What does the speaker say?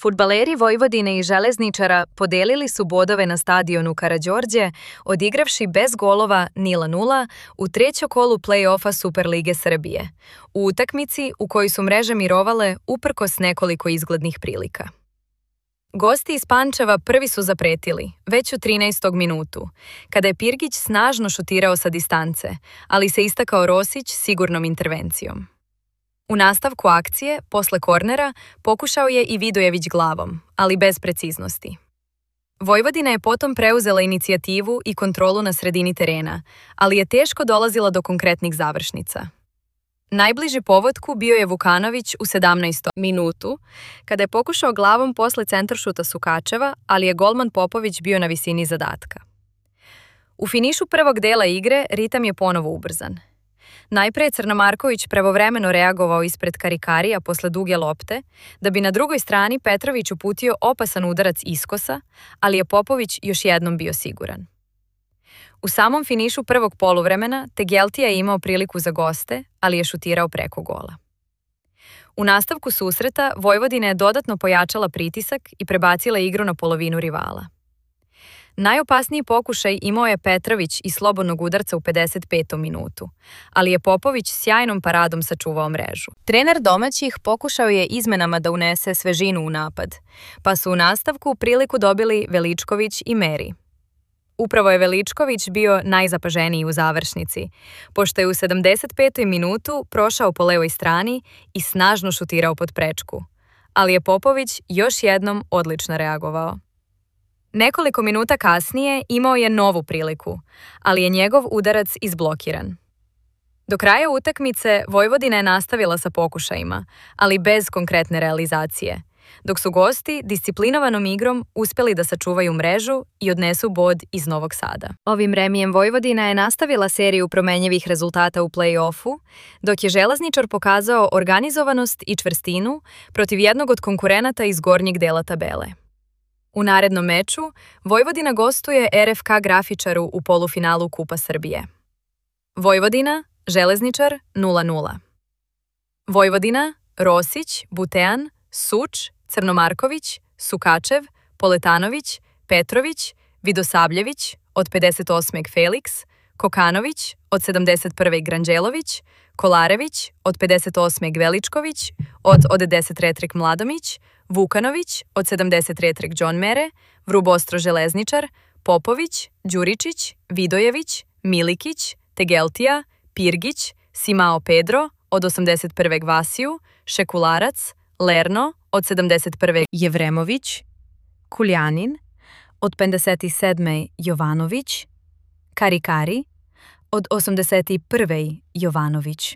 Fudbaleri Vojvodine i Železničara podelili su bodove na stadionu Karađorđe, odigravši bez golova 0:0 u trećem kolu play-offa Superlige Srbije, u utakmici u kojoj su mreže mirovale uprkos nekoliko izglednih prilika. Gosti iz Pančeva prvi su zapretili, već u 13. minutu, kada je Pirgić snažno šutirao sa distance, ali se istakao Rosić sigurnom intervencijom. U nastavku akcije, posle kornera, pokušao je i Vidojević glavom, ali bez preciznosti. Vojvodina je potom preuzela inicijativu i kontrolu na sredini terena, ali je teško dolazila do konkretnih završnica. Najbliži povodku bio je Vukanović u 17. minutu, kada je pokušao glavom posle centaršuta Sukačeva, ali je golman Popović bio na visini zadatka. U finišu prvog dela igre ritam je ponovo ubrzan. Najpre je Crnomarković pravovremeno reagovao ispred Karikarija posle duge lopte, da bi na drugoj strani Petrović uputio opasan udarac iskosa, ali je Popović još jednom bio siguran. U samom finišu prvog poluvremena Tegeltija je imao priliku za goste, ali je šutirao preko gola. U nastavku susreta Vojvodina je dodatno pojačala pritisak i prebacila igru na polovinu rivala. Najopasniji pokušaj imao je Petrović iz slobodnog udarca u 55. minutu, ali je Popović sjajnom paradom sačuvao mrežu. Trener domaćih pokušao je izmenama da unese svežinu u napad, pa su u nastavku priliku dobili Veličković i Meri. Upravo je Veličković bio najzapaženiji u završnici, pošto je u 75. minutu prošao po levoj strani i snažno šutirao pod prečku, ali je Popović još jednom odlično reagovao. Nekoliko minuta kasnije imao je novu priliku, ali je njegov udarac izblokiran. Do kraja utakmice Vojvodina je nastavila sa pokušajima, ali bez konkretne realizacije, dok su gosti disciplinovanom igrom uspeli da sačuvaju mrežu i odnesu bod iz Novog Sada. Ovim remijem Vojvodina je nastavila seriju promenjivih rezultata u play-offu, dok je Železničar pokazao organizovanost i čvrstinu protiv jednog od konkurenata iz gornjeg dela tabele. U narednom meču Vojvodina gostuje RFK Grafičaru u polufinalu Kupa Srbije. Vojvodina, Železničar 0:0. Vojvodina, Rosić, Butean, Suč, Crnomarković, Sukačev, Poletanović, Petrović, Vidosavljević, od 58. Felix, Kokanović, od 71. Granđelović, Kolarević, od 58. Veličković, od 10. Mladomić, Vukanović, od 73. John Mere, Vrubostro Železničar, Popović, Đuričić, Vidojević, Milikić, Tegeltija, Pirgić, Simao Pedro, od 81. Vasiju, Šekularac, Lerno, od 71. Jevremović, Kuljanin, od 57. Jovanović, Karikari, od 81. Jovanović.